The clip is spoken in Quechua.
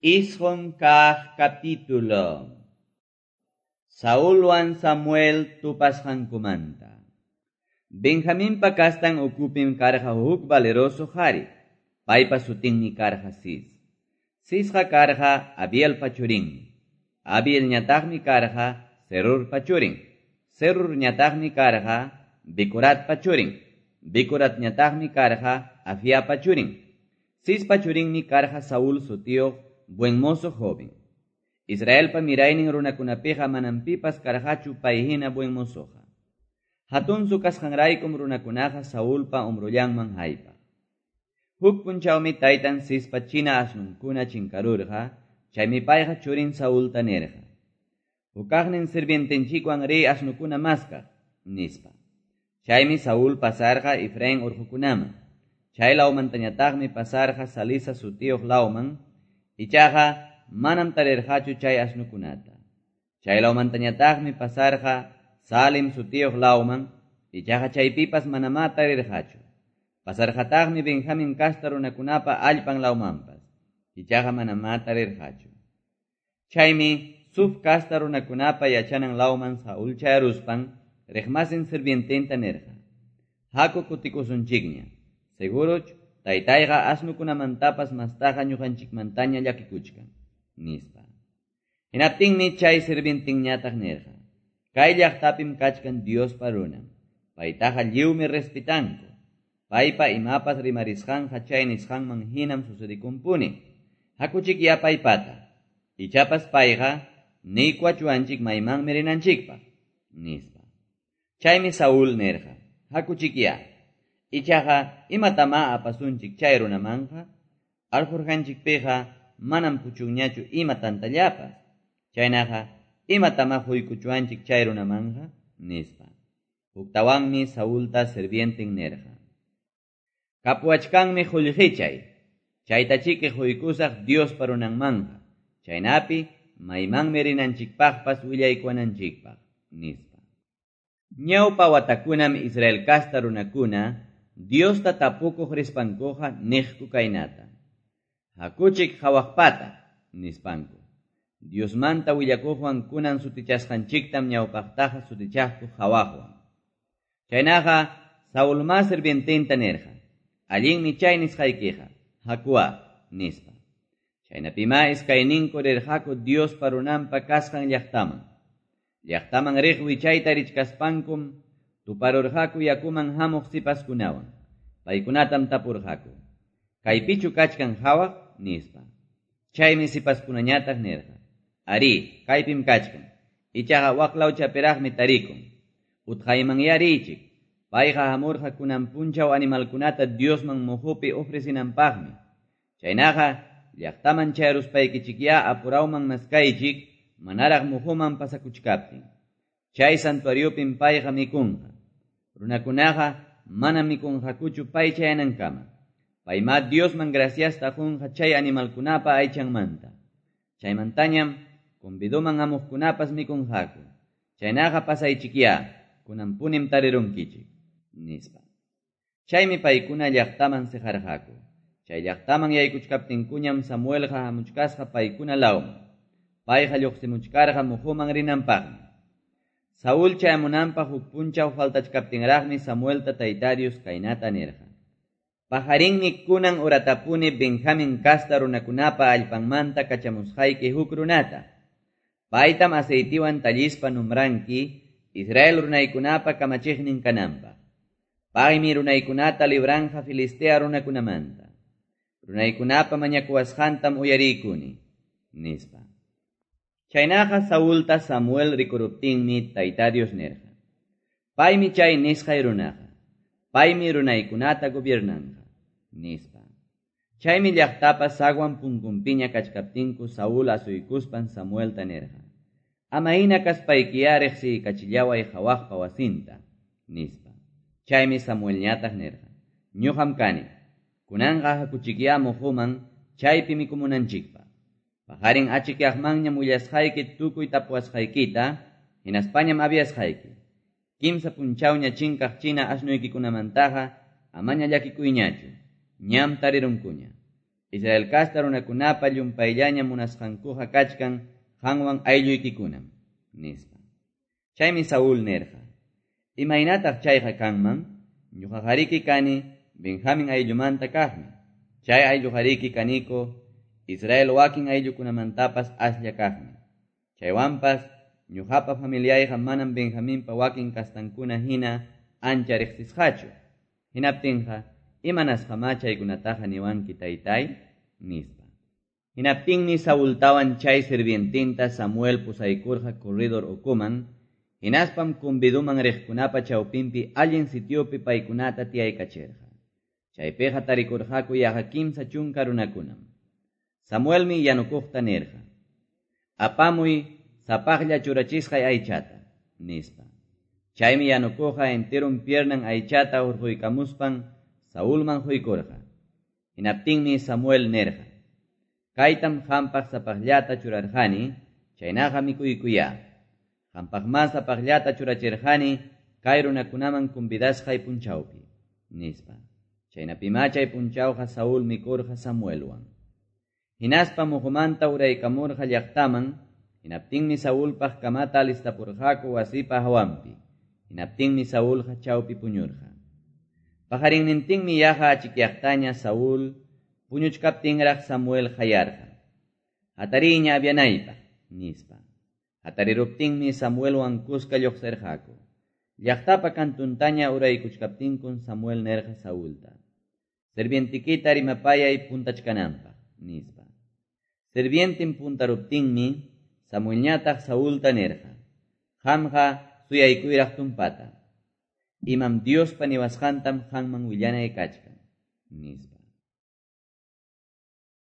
Isqun kaq capítulo. Saulwan Samuel tupasqankumanta. Benjaminpa kastan ukupim karqa huk valeroso qhari. Paypa sutinmi karqa Cis. Cisqa karqa Abielpa churinmi. Abielñataqmi karqa Serurpa churin. Serurñataqmi karqa Becoratpa churin. Becoratñataqmi karqa Afiapa churin. Cispa churinmi karqa Saúl sutiyuq buen mozo joven. Israelpa miraynin runakunapiqa manam pipas karqachu pay hina buen mozoqa. Hatunsu kasqanraykum runakunaqa Saulpa umrullanman haypaq. Huk punchawmi taytan Cispa china asnunkuna chinkarurqa, chaymi payqa churin Saulta nirqa: "Hukaqnin sirvientenchikwan riy asnukuna maskaq", nispa. Chaymi Saúl pasarqa Efraín urqukunaman. Chay lawmantañataqmi pasarqa Salisa sutiyuq lawman, ichaqa manam tarirqachu chay asnukunata. Chay lawmantañataqmi pasarqa Salim sutiyuq lawman, ichaqa chaypipas manamá tarirqachu. Pasarqataqmi Benjamín kasta runakunapa allpan lawmanpas, ichaqa manamá tarirqachu. Chaymi Zuf kasta runakunapa yachanan lawman Saúl chayaruspan riqmasin sirviententa nirqa: "Haku kutikusunchikña. Seguruch taytayqa asnukunamantapas mastaqa ñuqanchikmantaña llakikuchkan", nispa. Hinaptinmi chay sirvientinñataq nirqa: "Kay llaqtapim kachkan Diospa runan. Paytaqa lliwmi respetanku. Paypa imapas rimarisqanqa chay nisqanman hinam sucedikunpuni. Hakuchikyá paypata. Ichapas payqa niykuwachuwanchik maymanmi rinanchikpaq", nispa. Chaymi Saúl nirqa: "Hakuchikyá. Ichaqa imatamá apasunchik chay runamanqa? Alforjanchikpiqa manam puchunñachu ima tantallapas. Chaynaqa imatamá quykuchuwanchik chay runamanqa?" nispa. Huktawanmi Saulta sirvienten nirqa: "Kapuwachkanmi qullqichay. Chaytachiki quykusaq Diospa runanmanqa. Chaynapi maymanmi rinanchikpaqpas willaykuwananchikpaq", nispa. Ñawpa watakunam Israel kasta runakuna Diosta tapukuq rispankuqa niqku kaynata: "Hakuchik qhawaqpata", nispanku. Diosmanta willakuqwan kunan sutichasqanchiktam ñawpaqtaqa sutichaqku qhawaqwan. Chaynaqa Saulmá sirviententa nirqa: "Allinmi chay nisqaykiqa, hakuwa", nispa. Chaynapimá iskayninku rirqaku Diospa runanpa kasqan llaqtaman. Llaqtaman riq wichayta richkaspankum tuparurqaku yakuman hamuq sipaskunawan. Paykunatam tapurqaku: "Kaypichu kachkan qhawaq?" nispa. Chaymi sipaskunañataq nirqa: "Arí, kaypim kachkan. Ichaqa waqlawchapiraqmi tarikun. Utqaymanyá riychik. Payqa hamurqa kunan punchaw animalkunata Diosman muhupi ofrecinanpaqmi. Chaynaqa llaqtaman chayaruspaykichikyá apurawman maskaychik manaraq muhuman pasakuchkaptin. Chay santuariopim payqa mikunqa. Runakunaqa manam mikunqakuchu pay chayanankama. Paymá Diosman graciasta qunqa chay animalkunapa aychanmanta. Chaymantañam convidoman hamuqkunapas mikunqaku. Chaynaqa pasaychikyá, kunanpunim tarirunkichik", nispa. Chaymi paykuna llaqtaman siqarqaku. Chay llaqtaman yaykuchkaptinkuñam Samuelqa hamuchkasqa paykuna lawman. Payqa lluqsimuchkarqa muhuman rinanpaqmi. Saúl chayamunanpaq huk punchaw faltachkaptinraqmi Samuelta Tayta Dios kaynata nirqa: "Pajarinmi kunan uratapuni Benjamín kasta runakunapa allpanmanta kachamusqayki huk runata. Paytam aceitiwan tallispa numbranki Israel runaykunapa kamachiqnin kananpaq. Paymi runaykunata libranja Filistea runakunamanta. Runaykunapa mañakuwasqantam uyariykuni", nispa. Chaynaqa Saulta Samuel rikuruptinmi Tayta Dios nirqa: "Paymi chay nisqay runaqa. Paymi runaykunata gobiernanqa", nispa. Chaymi llaqtapa sagwan punkunpiña kachkaptinku Saúl asuykuspan Samuelta nirqa: "Ama hina kaspaykiyá riqsiykachillaway qhawaqpa wasinta", nispa. Chaymi Samuelñataq nirqa: "Ñuqam kani. Kunanqa hakuchikyá muhuman chaypi mikumunanchikpaq. Paqarin achikyaqmanñam willasqayki tukuy tapuwasqaykita, hinaspañam aviasqayki. Kimsa punchawña chinkaq china asnuykikunamantaqa amaña llakikuyñachu. Ñam tarirunkuña. Israel casta runakunapa llumpayllaña munasqankuqa kachkan qanwan aylluykikunam, nispa. Chaymi Saúl nirqa: Imaynataq chayqa kanman? Ñuqaqariki kani Benjamín ayllumanta kaqmi. Chay aylluqariki kaniku Israel wakin ayllukunamantapas aslla kaqmi. Chaywanpas ñuqapa familiayqa manam Benjaminpa wakin kastankuna hina ancha riqsisqachu. Hinaptinqa, imanasqamá chaykunataqa niwanki taytay? Nispa. Hinaptinmi Saultawan chay sirvientinta Samuel pusaykurqa corredor ukuman, hinaspam conviduman riqkunapa chawpinpi allin sitiopi paykunata tiyaykachirqa. Chaypiqa tarikurqaku yaqa 30 runakunam. Samuelmi yanukuqta nirqa: Apamuy sapaqlla churachisqay aychata, nispa. Chaymi yanukuqqa enteron piernan aychata hurquykamuspan Saulman huykurqa. Hinaptinmi Samuel nirqa: Kaytam qampaq sapaqllata churarqani, chaynaqa mikuykuyá. Qampaqmá sapaqllata churachirqani kay runakunaman convidasqay punchawpi, nispa. Chaynapimá chay punchawqa Saúl mikurqa Samuelwan. Hinaspa muhumanta uraykamurqa llaqtaman, hinaptinmi Saulpaq kamata alistapurqaku wasipa hawanpi. Hinaptinmi Saulqa chawpi puñurqa. Pajarinnintinmi yaqa achikyaqtaña Saúl puñuchkaptinraq Samuel qayarqa: Hatariña avianaypaq, nispa. Hatariruptinmi Samuelwan kuska lluqsirqaku. Llaqtapa kantuntaña uraykuchkaptinkun Samuel nirqa Saulta: Sirvientikita rimapayay puntachkananpaq, nispa. Sirvientin puntaruptinmi Samuelñataq Saulta nirqa: Qamqa suyaykuyraq tumpata. Imam Diospa niwasqantam qanman willanay kachkan, nispa.